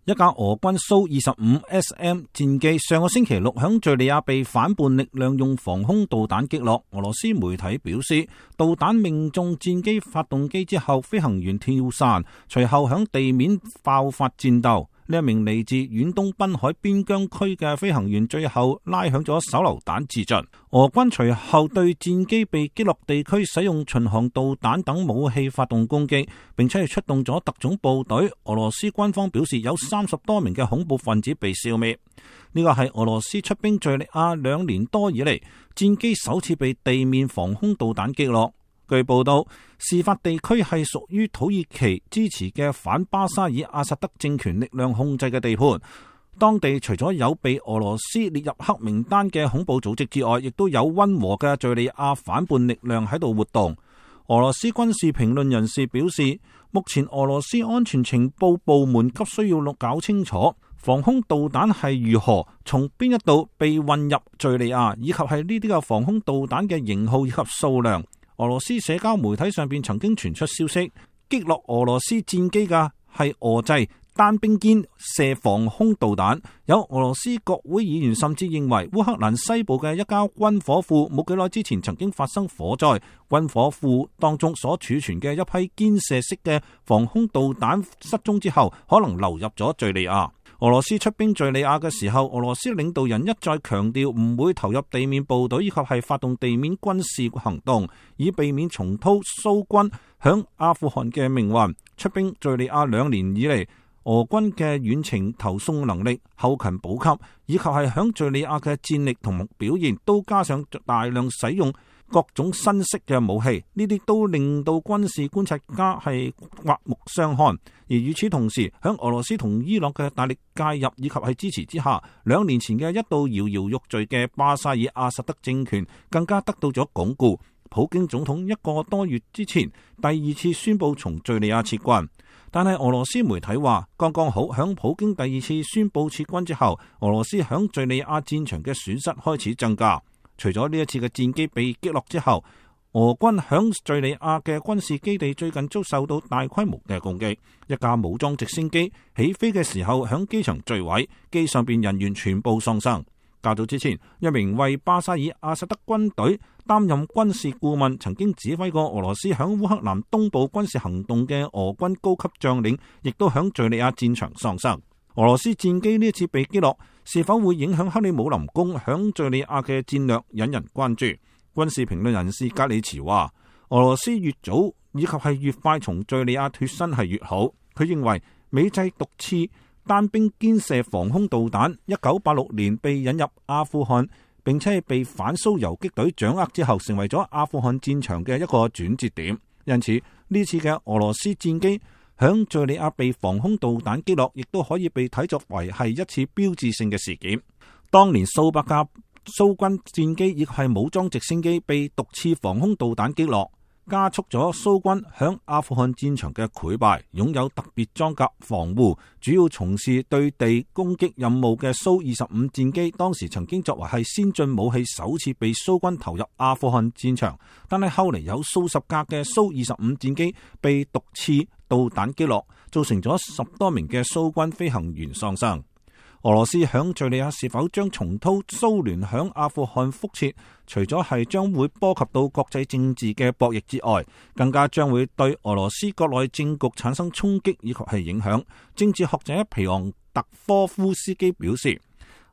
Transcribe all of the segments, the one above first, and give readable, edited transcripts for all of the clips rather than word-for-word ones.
一架俄軍蘇25SM 戰機上個星期六響敘利亞被反叛力量用防空導彈擊落。俄羅斯媒體表示，導彈命中戰機發動機之後，飛行員跳傘，隨後響地面爆發戰鬥。呢一名嚟自遠東濱海邊疆區嘅飛行員最後拉響咗手榴彈自盡。俄軍隨後對戰機被擊落地區使用巡航導彈等武器發動攻擊，並且係出動咗特種部隊。俄羅斯軍方表示有30多名嘅恐怖分子被消滅。呢個係俄羅斯出兵敘利亞2年多以嚟，戰機首次被地面防空導彈擊落。據報道，事發地區係屬於土耳其支持嘅反巴沙爾阿薩德政權力量控制嘅地盤。當地除咗有被俄羅斯列入黑名單嘅恐怖組織之外，亦都有溫和嘅敘利亞反叛力量喺度活動。俄羅斯軍事評論人士表示，目前俄羅斯安全情報部門急需要搞清楚防空導彈係如何從邊一度被運入敘利亞，以及係呢啲嘅防空導彈嘅型號以及數量。俄羅斯社交媒體上邊曾經傳出消息，擊落俄羅斯戰機嘅係俄製單兵肩射防空導彈。有俄羅斯國會議員甚至認為，烏克蘭西部嘅一家軍火庫冇幾耐之前曾經發生火災，軍火庫當中所儲存嘅一批肩射式嘅防空導彈失蹤之後，可能流入咗敘利亞。俄羅斯出兵敘利亞嘅時候，俄羅斯領導人一再強調唔會投入地面部隊以及係發動地面軍事行動，以避免重蹈蘇軍響阿富汗嘅命運。出兵敘利亞2年以嚟，俄軍嘅遠程投送能力、後勤補給以及係響敘利亞嘅戰力同表現，都加上大量使用各種新式嘅武器，呢啲都令到軍事觀察家係刮目相看。而與此同時，響俄羅斯同伊朗嘅大力介入以及係支持之下，2年前嘅一度搖搖欲墜嘅巴沙爾阿薩德政權更加得到咗鞏固。普京總統1個多月之前第2次宣布從敘利亞撤軍，但係俄羅斯媒體話，剛剛好響普京第2次宣布撤軍之後，俄羅斯響敘利亞戰場嘅損失開始增加。除咗呢一次嘅戰機被擊落之後，俄軍響敘利亞嘅軍事基地最近遭受到大規模嘅攻擊。一架武裝直升機起飛嘅時候響機場墜毀，機上邊人員全部喪生。較早之前，一名為巴沙爾阿薩德軍隊擔任軍事顧問，曾經指揮過俄羅斯響烏克蘭東部軍事行動嘅俄軍高級將領，亦都響敘利亞戰場喪生。俄羅斯戰機呢一次被擊落，是否會影響克里姆林宮響敘利亞嘅戰略，引人關注。軍事評論人士格里茨話，俄羅斯越早以及係越快從敘利亞脫身係越好。佢認為美製毒刺單兵肩射防空導彈1986年被引入阿富汗，並且係被反蘇游擊隊掌握之後，成為咗阿富汗戰場嘅一個轉折點。因此呢次嘅俄羅斯戰機響敘利亞被防空導彈擊落，亦都可以被睇作為係一次標誌性嘅事件。當年數百架蘇軍戰機以及係武裝直升機被毒刺防空導彈擊落，加速咗蘇軍響阿富汗戰場嘅潰敗。擁有特別裝甲防護、主要從事對地攻擊任務嘅蘇25戰機，當時曾經作為係先進武器，首次被蘇軍投入阿富汗戰場。但係後嚟有數十架嘅蘇25戰機被毒刺導彈擊落，造成咗10多名嘅蘇軍飛行員喪生。俄羅斯響敘利亞是否將重蹈蘇聯響阿富汗覆轍，除咗係將會波及到國際政治嘅博弈之外，更加將會對俄羅斯國內政局產生衝擊以及係影響。政治學者皮昂特科夫斯基表示，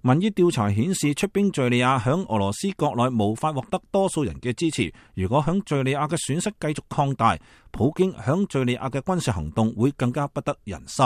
民意調查顯示出兵敘利亞響俄羅斯國內無法獲得多數人嘅支持。如果響敘利亞嘅損失繼續擴大，普京響敘利亞嘅軍事行動會更加不得人心。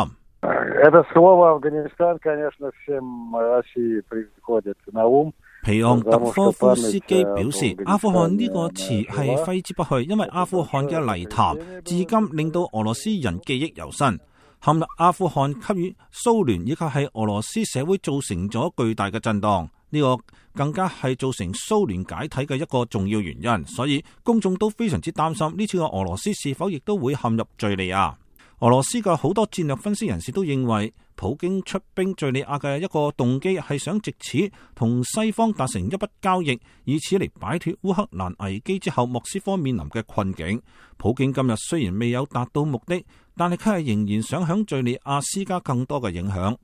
皮昂特科夫斯基表示，阿富汗呢個詞係揮之不去，因為阿富汗嘅泥潭至今令到俄羅斯人記憶猶新。陷入阿富汗給予蘇聯以及係俄羅斯社會造成咗巨大嘅震盪，呢個更加係造成蘇聯解體嘅一個重要原因。所以公眾都非常之擔心呢次嘅俄羅斯是否亦都會陷入敘利亞。俄羅斯嘅好多戰略分析人士都認為，普京出兵敘利亞嘅一個動機係想藉此同西方達成一筆交易，以此嚟擺脫烏克蘭危機之後莫斯科面臨嘅困境。普京今日雖然未有達到目的，但係佢係仍然想響敘利亞施加更多嘅影響。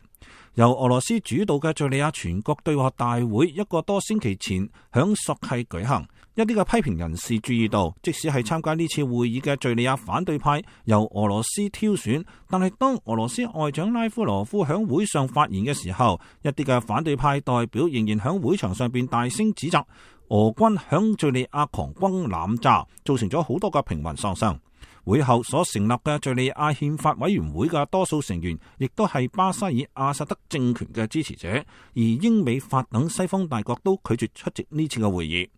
由俄羅斯主導嘅敘利亞全國對話大會一個多星期前響索契舉行，一啲嘅批評人士注意到，即使係參加呢次會議嘅敘利亞反對派由俄羅斯挑選，但係當俄羅斯外長拉夫羅夫響會上發言嘅時候，一啲嘅反對派代表仍然響會場上邊大聲指責俄軍響敘利亞狂轟濫炸，造成咗好多嘅平民喪生。會後所成立嘅敘利亞憲法委員會嘅多數成員，亦都係巴沙爾阿薩德政權嘅支持者，而英美法等西方大國都拒絕出席呢次嘅會議。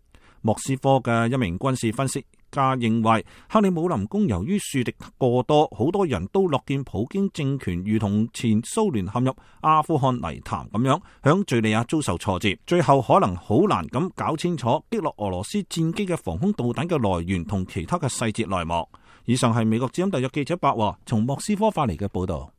莫斯科嘅一名軍事分析家認為，克里姆林宮由於樹敵過多，好多人都樂見普京政權如同前蘇聯陷入阿富汗泥潭咁樣，響敘利亞遭受挫折，最後可能好難咁搞清楚擊落俄羅斯戰機嘅防空導彈嘅來源同其他嘅細節內幕。以上係美國之音特約記者白華從莫斯科發嚟嘅報道。